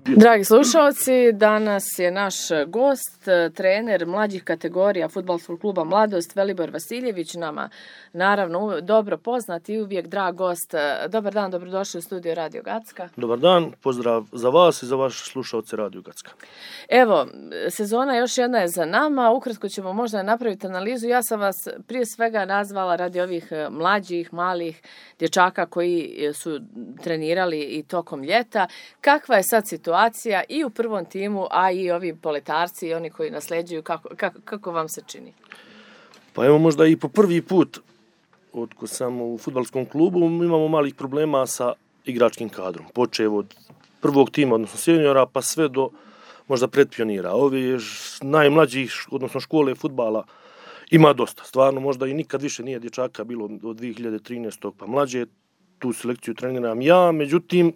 Dragi slušalci, danas je naš gost, trener mlađih kategorija Fudbalskog kluba Mladost, Velibor Vasiljević, nama naravno dobro poznat i uvijek drag gost. Dobar dan, dobrodošli u studio Radio Gacka. Dobar dan, pozdrav za vas i za vaše slušalce Radio Gacka. Evo, sezona još jedna je za nama, ukratko ćemo možda napraviti analizu. Ja sam vas prije svega nazvala radi ovih mlađih, malih dječaka koji su trenirali i tokom ljeta. Kakva je sad situacija i u prvom timu, a i ovi poletarci i oni koji nasljeđuju, kako vam se čini? Pa evo možda i po prvi put otkako sam u fudbalskom klubu imamo malih problema sa igračkim kadrom. Počev od prvog tima, odnosno seniora, pa sve do možda predpionira. Ovi najmlađih, odnosno škole fudbala ima dosta. Stvarno možda i nikad više nije dječaka bilo od 2013. pa mlađe. Tu selekciju treniram ja, međutim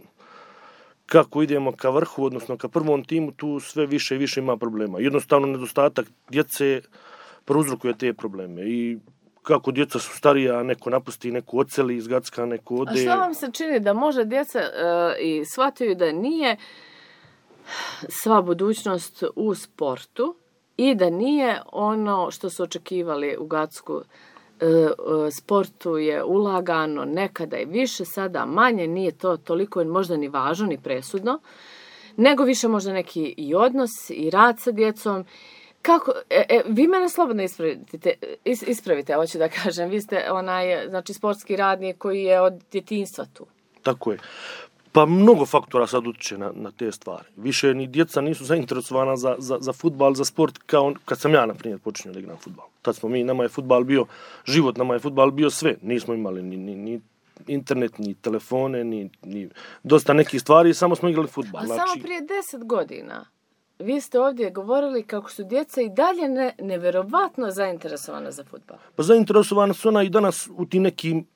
kako idemo ka vrhu, odnosno ka prvom timu, tu sve više i više ima problema. Jednostavno nedostatak djece prouzrokuje te probleme i kako djeca su starija, neko napusti, neko odseli iz Gacka, neko ode. A što vam se čini da može djeca i shvataju da nije sva budućnost u sportu i da nije ono što su očekivali u Gacku? Sportu je ulagano nekada i više, sada manje, nije to toliko možda ni važno ni presudno, nego više možda neki i odnos i rad sa djecom. Kako, vi mene slobodno ispravite, hoću da kažem, vi ste znači sportski radnik koji je od djetinjstva tu. Tako je. Pa mnogo faktora sad utječe na te stvari. Više ni djeca nisu zainteresovana za fudbal, za sport kao kad sam ja, na primjer, počinio da igram fudbal. Tad smo nama je fudbal bio život, nama je fudbal bio sve. Nismo imali ni internet, ni telefone, ni dosta nekih stvari, samo smo igrali fudbal. A samo prije 10 godina vi ste ovdje govorili kako su djeca i dalje nevjerovatno zainteresovana za fudbal. Pa zainteresovana su ona i danas u tim nekim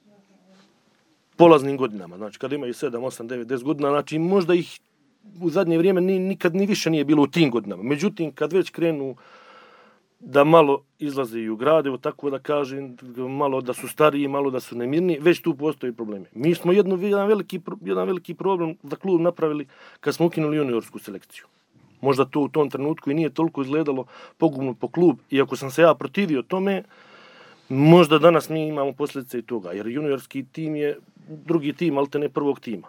polaznim godinama, znači kada imaju 7, 8, 9, 10 godina, znači možda ih u zadnje vrijeme nikad ni više nije bilo u tim godinama. Međutim, kad već krenu da malo izlaze i u grade, tako da kažem, malo da su stariji, malo da su nemirni, već tu postoji problemi. Mi smo jedan veliki problem za klub napravili kad smo ukinuli juniorsku selekciju. Možda to u tom trenutku i nije toliko izgledalo pogubno po klub, iako sam se ja protivio tome, možda danas mi imamo posljedice i toga, jer juniorski tim je drugi tim, ali te ne prvog tima.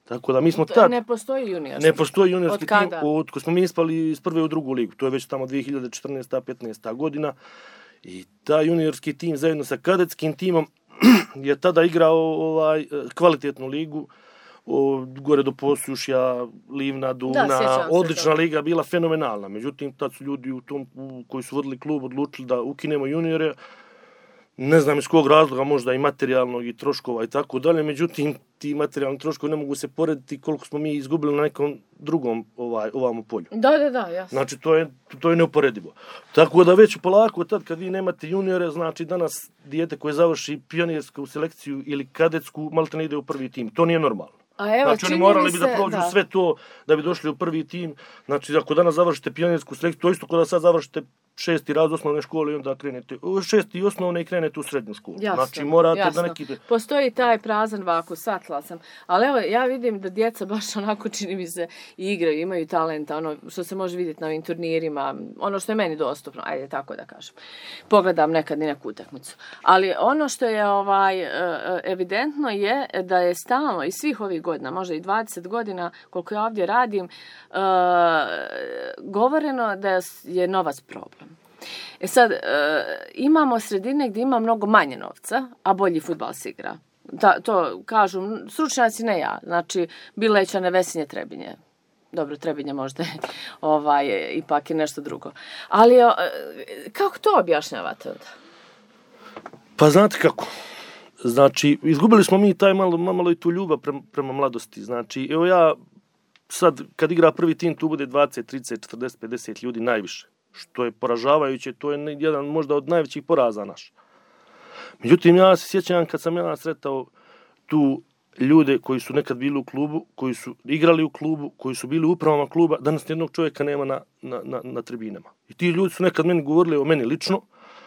Tako da mi smo tad... Ne postoji juniorski. Ne postoji juniorski tim, ko smo mi ispali iz prve u drugu ligu. To je već tamo 2014-15. godina. I ta juniorski tim zajedno sa kadetskim timom je tada igrao kvalitetnu ligu. Gore do Posušja, Livna, Duna, odlična liga, bila fenomenalna. Međutim, tad su ljudi koji su vodili klub odlučili da ukinemo juniore. Ne znam iz kog razloga, možda i materijalnog i troškova i tako dalje, međutim ti materijalni troškovi ne mogu se porediti koliko smo mi izgubili na nekom drugom ovamo polju. Da, jasno. Znači to je neuporedivo. Tako da već polako tad kad vi nemate juniore, znači danas dijete koje završi pionirsku selekciju ili kadetsku, maltene ne ide u prvi tim. To nije normalno. Znači oni morali bi da prođu sve to da bi došli u prvi tim. Znači ako danas završite pionirsku selekciju, to isto kao da sad završite 6. razred osnovne škole i onda krenete 6. osnovne i krenete u srednju školu. Jasno, znači morate jasno. da neki... Postoji taj prazan vakus, shvatila sam. Ali evo, ja vidim da djeca baš onako čini mi se igraju, imaju talenta, ono što se može vidjeti na ovim turnirima, ono što je meni dostupno, ajde tako da kažem. Pogledam nekad i neku utakmicu. Ali ono što je evidentno je da je stalno i svih ovih godina, možda i 20 godina koliko ja ovdje radim, govoreno da je novac problem. Sad, imamo sredine gdje ima mnogo manje novca, a bolji fudbal se igra. To kažu stručnjaci, ne ja. Znači, Bileća, Vesinje, Trebinje. Dobro, Trebinje možda ipak je nešto drugo. Ali, kako to objašnjavate onda? Pa znate kako. Znači, izgubili smo mi taj malo i tu ljubav prema mladosti. Znači, evo ja sad, kad igra prvi tim, tu bude 20, 30, 40, 50 ljudi najviše. Što je poražavajuće, to je jedan možda od najvećih poraza naš. Međutim, ja se sjećam kad sam ja sretao tu ljude koji su nekad bili u klubu, koji su igrali u klubu, koji su bili u upravama kluba, danas nijednog čovjeka nema na tribinama. I ti ljudi su nekad meni govorili o meni lično,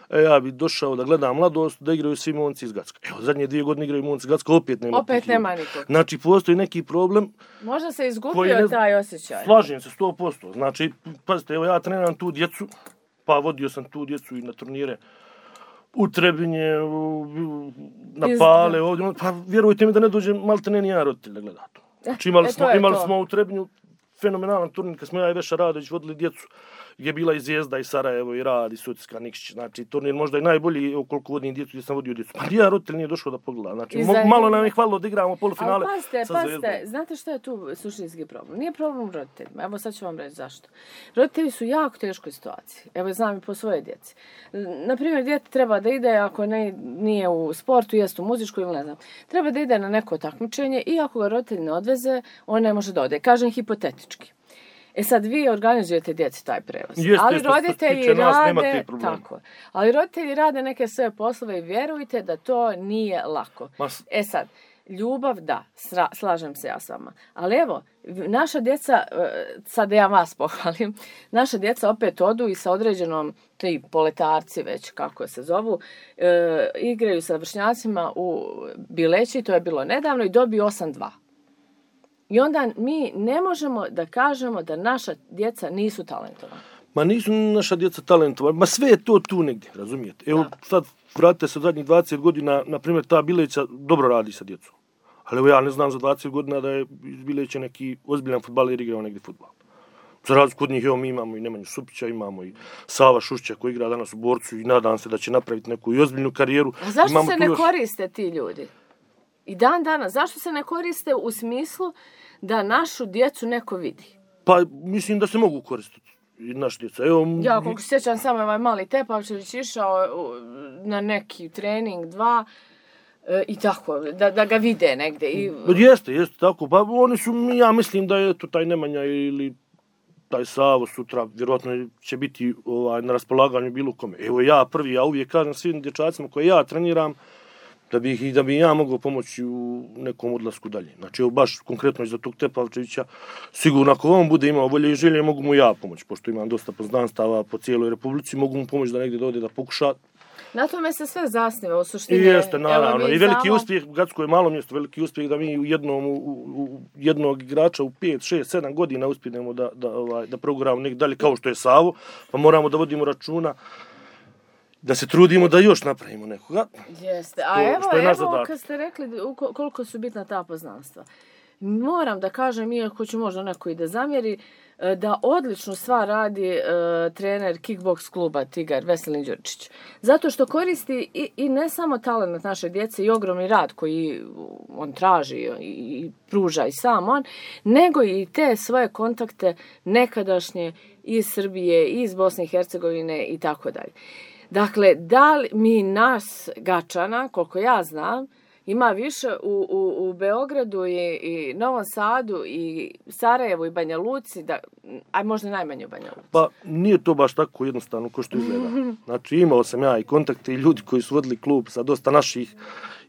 ja bi došao da gledam Mladost, da igraju svi momci iz Gacka. Evo, zadnje 2 godine igraju momci iz Gacka, opet nema. Opet nema nikog. Znači, postoji neki problem. Možda se izgubio taj osjećaj. Slažem se 100%. Znači, pazite, evo ja treniram tu djecu, pa vodio sam tu djecu i na turnire u Trebinje, na Pale, ovdje, pa vjerujte mi da ne dođe maltene ni jedan roditelj da gleda to. Znači, imali smo u Trebinju fenomenalan turnir, kad smo ja i Veša Radović vodili djecu, gdje je bila i Zvijezda, i Sarajevo, i Rad, i Sucka, Nikšić. Znači, turnir možda i najbolji koliko vodim djecu gdje sam vodio djecu. Pa nijedan roditelj nije došao da pogleda. Znači, malo nam je hvalilo da igramo polufinale. Ali pazite, znate što je tu suštinski problem? Nije problem u roditeljima. Evo sad ću vam reći zašto. Roditelji su jako teškoj situaciji. Evo znam i po svoje djeci. Naprimjer, dijete treba da ide, ako nije u sportu, jest u muzičku ili ne znam. Treba da ide na neko takmičenje i ako ga roditelj ne odveze, on ne može da ode. Kažem hipotetički. Sad vi organizujete djeci taj prevoz, ali roditelji rade tako. Ali roditelji rade neke svoje poslove i vjerujte da to nije lako. Sad, ljubav da, slažem se ja s vama. Ali evo, naša djeca, sad ja vas pohvalim, naša djeca opet odu i sa određenom, ti poletarci već kako se zovu, igraju sa vršnjacima u Bileći, to je bilo nedavno, i dobiju 8-2. I onda mi ne možemo da kažemo da naša djeca nisu talentovana. Ma nisu naša djeca talentovana, ma sve je to tu negdje, razumijete? Evo sad vratite se od zadnjih 20 godina, na primjer ta Bileća dobro radi sa djecom. Ali evo ja ne znam za 20 godina da je iz Bileća neki ozbiljan fudbaler igrao negdje fudbal. Za razliku od njih, evo mi imamo i Nemanju Supića, imamo i Sava Šušća koji igra danas u Borcu i nadam se da će napraviti neku i ozbiljnu karijeru. A zašto se ne koriste ti ljudi? I dan danas, zašto se ne koriste u smislu da našu djecu neko vidi? Pa mislim da se mogu koristiti i naša djeca. Evo, ja koliko se sjećam samo ovaj mali Tepavčević išao na neki trening 2 i tako, da ga vide negdje. Jeste tako. Pa oni su, ja mislim da je to taj Nemanja ili taj Savo sutra, vjerojatno će biti na raspolaganju bilo kome. Evo ja prvi, ja uvijek kažem svim dječacima koje ja treniram, da bi ja mogao pomoći u nekom odlasku dalje. Znači, evo baš konkretno iz tog Tepavčevića, sigurno ako on bude imao volje i želje, mogu mu ja pomoći, pošto imam dosta poznanstava po cijeloj Republici, mogu mu pomoći da negdje dode da pokuša. Na tome se sve zasniva u suštini. Jeste, naravno. I veliki uspjeh, Gacko je malo mjesto, veliki uspjeh da mi u jednog igrača u 5, 6, 7 godina uspijemo da proguramo negdje dalje, kao što je Savo, pa moramo da vodimo računa da se trudimo da još napravimo nekoga. Jeste. A evo kad ste rekli koliko su bitna ta poznanstva. Moram da kažem, iako ću možda neko i da zamjeri, da odličnu stvar radi trener kickboks kluba Tigar, Veselin Đurčić. Zato što koristi i ne samo talent naše djece i ogromni rad koji on traži i pruža i sam on, nego i te svoje kontakte nekadašnje iz Srbije, iz Bosne i Hercegovine i tako dalje. Dakle, da li mi nas Gačana, koliko ja znam, ima više u Beogradu i Novom Sadu i Sarajevu i Banja Luci, a možda najmanje u Banja Luci. Pa nije to baš tako jednostavno kao što izgleda. Znači imao sam ja i kontakte i ljudi koji su vodili klub sa dosta naših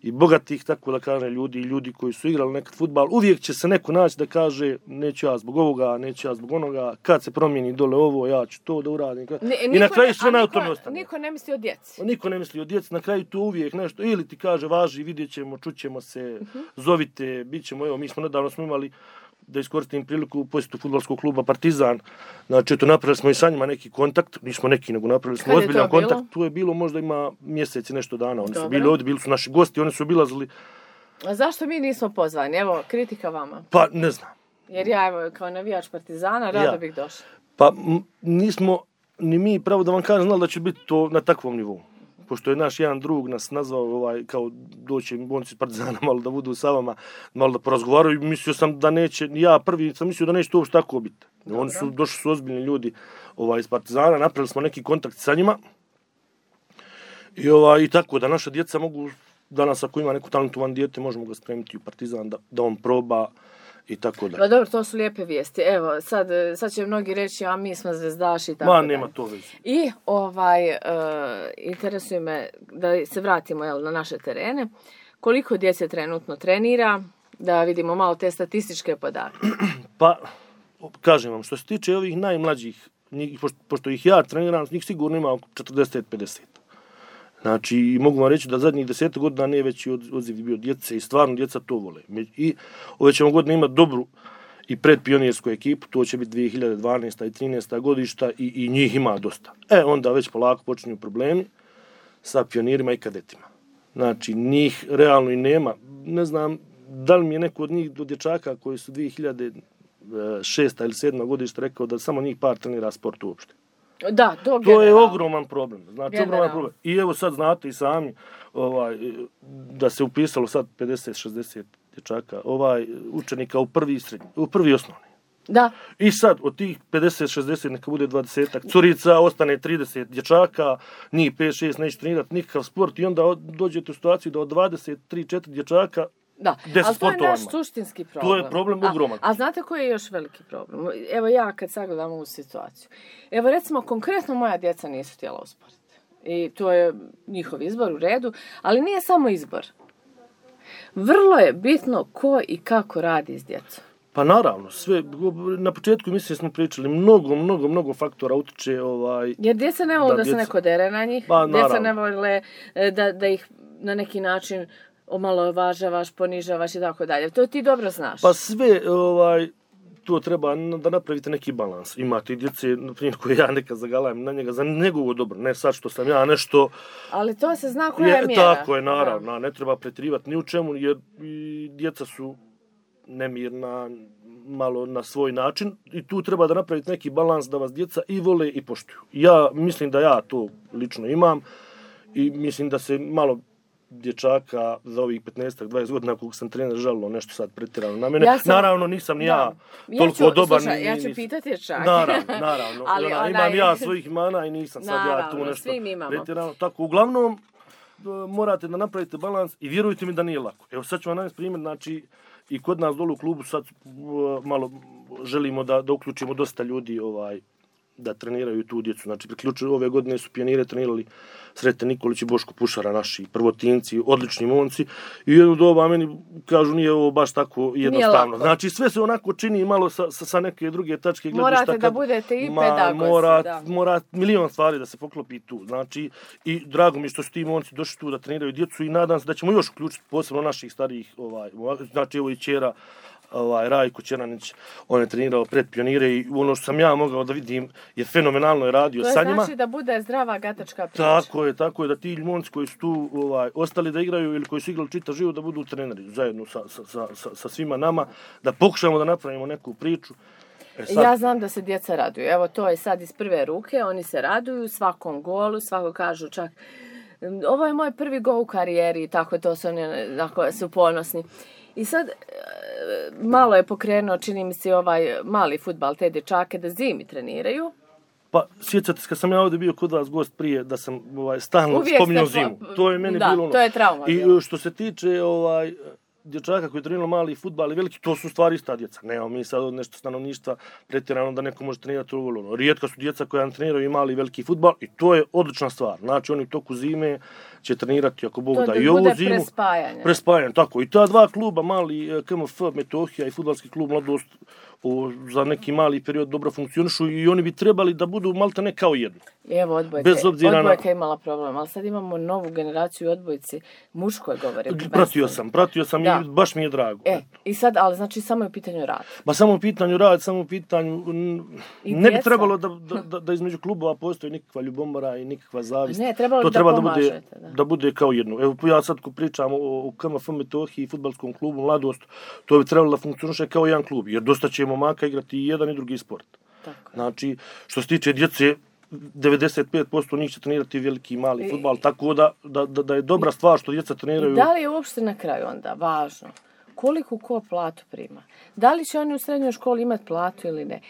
i bogatih, tako da kažem, ljudi koji su igrali nekad fudbal. Uvijek će se neko naći da kaže neću ja zbog ovoga, neću ja zbog onoga, kad se promijeni dole ovo, ja ću to da uradim. I na kraju sve na tome ostane. Niko ne misli o djeci. Niko ne misli o djeci, na kraju to uvijek nešto, ili ti kaže važi, vidjet ćemo, čućemo se, zovite, bit ćemo, evo mi smo nedavno imali, da iskoristim priliku, posjetu fudbalskog kluba Partizan. Znači, napravili smo i sa njima neki kontakt, nismo neki, nego napravili smo ozbiljan kontakt. Tu je bilo možda ima mjeseci, nešto dana. Oni su bili ovdje, bili su naši gosti, oni su obilazili. A zašto mi nismo pozvani? Evo, kritika vama. Pa, ne znam. Jer ja, evo, kao navijač Partizana, rado bih došla. Pa, nismo, ni mi, pravo da vam kažem, znali da će biti to na takvom nivou. Pošto je naš jedan drug nas nazvao, kao doći bonci iz Partizana, malo da budu sa vama, malo da porazgovaraju, i mislio sam da neće, ja prvi sam mislio da neće to uopšte tako biti. Oni su, došli su ozbiljni ljudi iz Partizana, napravili smo neki kontakt sa njima i tako da naša djeca mogu, danas ako ima neko talentovan dijete, možemo ga spremiti u Partizan da on proba i tako da. Pa dobro, to su lijepe vijesti. Evo, sad će mnogi reći, a mi smo zvezdaši i tako da. Nema to veze. I interesuje me da se vratimo na naše terene. Koliko djece trenutno trenira? Da vidimo malo te statističke podatke. Pa, kažem vam, što se tiče ovih najmlađih, pošto ih ja treniram, njih sigurno ima oko 40-50. Znači, i mogu vam reći da zadnjih 10 godina nije veći odziv bio djece i stvarno djeca to vole. I ove ćemo godine imati dobru i predpionirsku ekipu, to će biti 2012. i 13. godišta i njih ima dosta. Onda već polako počinju problemi sa pionirima i kadetima. Znači, njih realno i nema. Ne znam da li mi je neko od njih, do dječaka koji su 2006. ili 2007. godišta rekao da samo njih par trenira sport uopšte. Da, to je ogroman problem. Znači, ogroman problem. I evo sad znate i sami da se upisalo sad 50-60 dječaka, učenika u prvi osnovni. Da. I sad od tih 50-60 neka bude 20 curica, ostane 30 dječaka, njih 5-6 neće trenirati nikakav sport i onda dođete u situaciju da od 23-4 dječaka da, ali to je naš suštinski problem. To je problem ogroman. A znate koji je još veliki problem? Evo ja kad sagledam ovu situaciju. Evo recimo konkretno moja djeca nisu htjela u sport. I to je njihov izbor u redu, ali nije samo izbor. Vrlo je bitno ko i kako radi s djecom. Pa naravno, sve, na početku mislim smo pričali, mnogo faktora utiče jer djeca ne vole da se neko dere na njih, djeca ne vole da ih na neki način omalovažavaš, ponižavaš i tako dalje. To ti dobro znaš. Pa sve, to treba da napravite neki balans. Imate i djece, na primjer, koje ja nekad zagalajem na njega za njegovo dobro, ne sad što sam ja nešto... Ali to se zna koja je mjera. Tako je, naravno, ne treba pretrivati ni u čemu, jer djeca su nemirna, malo na svoj način i tu treba da napraviti neki balans da vas djeca i vole i poštuju. Ja mislim da ja to lično imam i mislim da se malo dječaka za ovih 15-20 godina koliko sam trener žalilo nešto sad pretjerano na mene. Naravno nisam ni ja toliko dobar. Slušaj, ja ću pitati dječaka. Naravno. Imam ja svojih mana i nisam sad ja tu nešto pretjerano. Tako, uglavnom morate da napravite balans i vjerujte mi da nije lako. Evo sad ću vam navesti primjer, znači i kod nas dole u klubu sad malo želimo da uključimo dosta ljudi da treniraju tu djecu. Znači, ove godine su pionire trenirali Sreten Nikolić i Boško Pušara, naši prvotinci, odlični momci. I jedno doba meni kažu nije ovo baš tako jednostavno. Znači, sve se onako čini malo sa neke druge tačke gledišta. Morate da budete i pedagozi. Mora milion stvari da se poklopi tu. Znači, i drago mi što su ti momci došli tu da treniraju djecu i nadam se da ćemo još uključiti posebno naših starijih, znači evo i ćera, Rajko Čeranić, on je trenirao pred pionire i ono što sam ja mogao da vidim je fenomenalno je radio sa njima. To znači da bude zdrava gatačka priča. Tako je da ti momci koji su tu ostali da igraju ili koji su igrali čitav život da budu treneri zajedno sa svima nama, da pokušamo da napravimo neku priču. Ja znam da se djeca raduju. Evo to je sad iz prve ruke, oni se raduju svakom golu, svako kažu čak ovo je moj prvi gol u karijeri i tako to su oni su ponosni. I sad malo je pokrenuo, čini mi se, mali fudbal, te dječake da zimi treniraju. Pa, sjećate se kad sam ja ovdje bio kod vas gost prije, da sam stalno spominjao zimu. To je meni bilo ono. To je trauma. I što se tiče dječaka koji treniraju mali fudbal i veliki, to su stvari ista djeca. Nemamo mi sad nešto stanovništva pretjerano da neko može trenirati ovo. Rijetka su djeca koja treniraju i mali i veliki fudbal i to je odlična stvar. Znači oni u toku zime će trenirati ako Bog da i ovu zimu. Prespajanje, tako. I ta dva kluba, mali KMF Metohija i fudbalski klub Mladost, za neki mali period dobro funkcionišu i oni bi trebali da budu maltene kao jedno. Evo odbojka je imala problem, ali sad imamo novu generaciju odbojci, muškoj govore. Pratio sam i baš mi je drago. I sad, ali znači samo je u pitanju rad. Ma samo u pitanju rad, samo u pitanju, ne bi trebalo da između klubova postoji nikakva ljubomora i nikakva zavist. Ne, trebalo da bude kao jedno. Evo ja sad ko pričam o KMF Metohiji i fudbalskom klubu Mladost, to bi trebalo da funkcioniše kao jedan klub, jer dosta će momaka igrati i jedan i drugi sport. Tako. Znači, što se tiče djece, 95% njih će trenirati veliki i mali fudbal, tako da je dobra stvar što djeca treniraju. I da li je uopšte na kraju onda važno koliko ko platu prima? Da li će oni u srednjoj školi imati platu ili ne?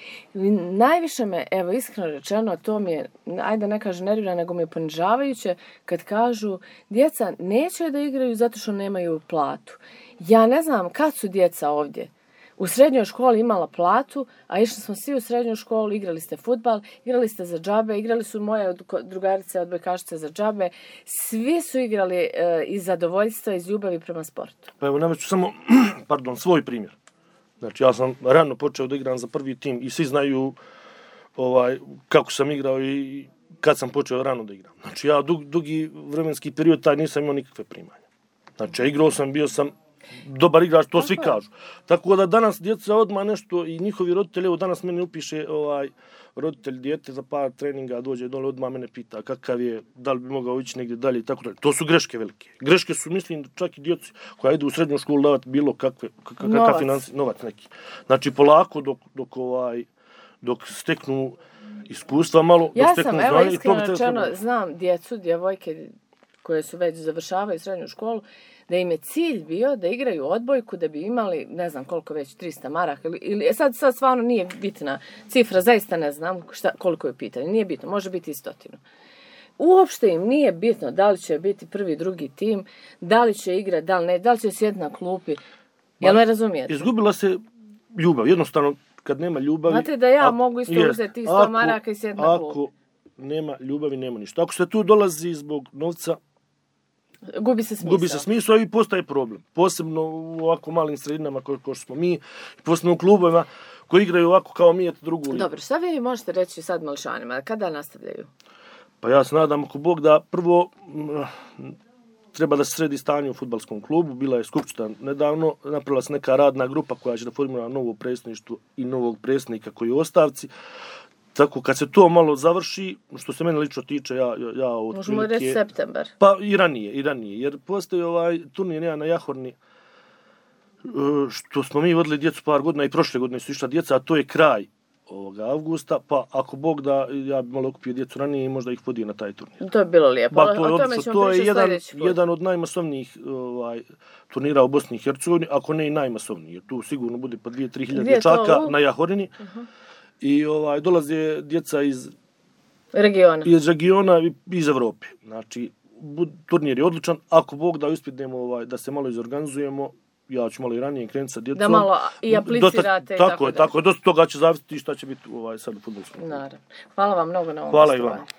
Najviše me, evo iskreno rečeno, to mi je, ajde ne kažem nervira, nego mi je ponižavajuće kad kažu djeca neće da igraju zato što nemaju platu. Ja ne znam kad su djeca ovdje u srednjoj školi imala platu, a išli smo svi u srednjoj školu, igrali ste fudbal, igrali ste za džabe, igrali su moje drugarice odbojkašice za džabe, svi su igrali iz zadovoljstva, iz ljubavi prema sportu. Pa evo, navest ću samo, svoj primjer. Znači, ja sam rano počeo da igram za prvi tim i svi znaju kako sam igrao i kad sam počeo rano da igram. Znači ja dugi vremenski period taj nisam imao nikakve primanja. Znači igrao sam, bio sam dobar igrač, to svi kažu. Tako da danas djeca odmah nešto i njihovi roditelji, evo danas meni upiše roditelj dijete za par treninga, dođe dole, odmah mene pita kakav je, da li bi mogao ići negdje dalje i tako dalje. To su greške velike. Greške su, mislim, čak i djeci koja idu u srednju školu davati bilo kakav novac neki. Znači polako dok steknu iskustva malo, dok steknu znanje. Ja sam, iskreno rečeno, znam djecu, djevojke koje su već završavaju srednju školu, da im je cilj bio da igraju odbojku, da bi imali, ne znam koliko već, 300 maraka, ili sad stvarno nije bitna cifra, zaista ne znam koliko je pitanje, nije bitno, može biti i 100. Uopšte im nije bitno da li će biti prvi, drugi tim, da li će igrati, da li ne, da li će sjediti na klupi, jel me razumijete? Izgubila se ljubav, jednostavno kad nema ljubavi... Znate da ja mogu isto uzeti 100 maraka i sjediti na klupi. Ako nema ljubavi, nema ništa. Ako se tu dolazi zbog novca, gubi se smisao i postaje problem. Posebno u ovako malim sredinama kao smo mi, posebno u klubovima koji igraju ovako kao mi, drugu ligu. Dobro, šta vi možete reći sad mališanima? Kada nastavljaju? Pa ja se nadam, ako Bog da, prvo treba da se sredi stanje u fudbalskom klubu. Bila je skupština nedavno, napravila se neka radna grupa koja će da formira novo predsjedništvo i novog predsjednika koji je u ostavci. Tako, kad se to malo završi, što se mene lično tiče, ja od možemo reći septembar. Pa i ranije, jer postoji turnir na Jahorni, što smo mi vodili djecu par godina i prošle godine su išla djeca, a to je kraj avgusta, pa ako Bog da, ja bi malo okupio djecu ranije i možda ih vodio na taj turnir. To je bilo lijepo, o tome ćemo pričati sljedeći put. Jedan od najmasovnijih turnira u Bosni i Hercegovini, ako ne i najmasovniji, jer tu sigurno bude po 2-3 hiljade dječaka na Jahorini. I dolaze djeca iz regiona i iz Evrope. Znači, turnir je odličan. Ako Bog da uspjedemo da se malo izorganizujemo, ja ću malo i ranije krenuti sa djecom. Da malo i aplicirate. Tako je. Dosta toga će zavisiti šta će biti sad u fudbalskom. Naravno. Hvala vam mnogo na ovom Hvala i vama.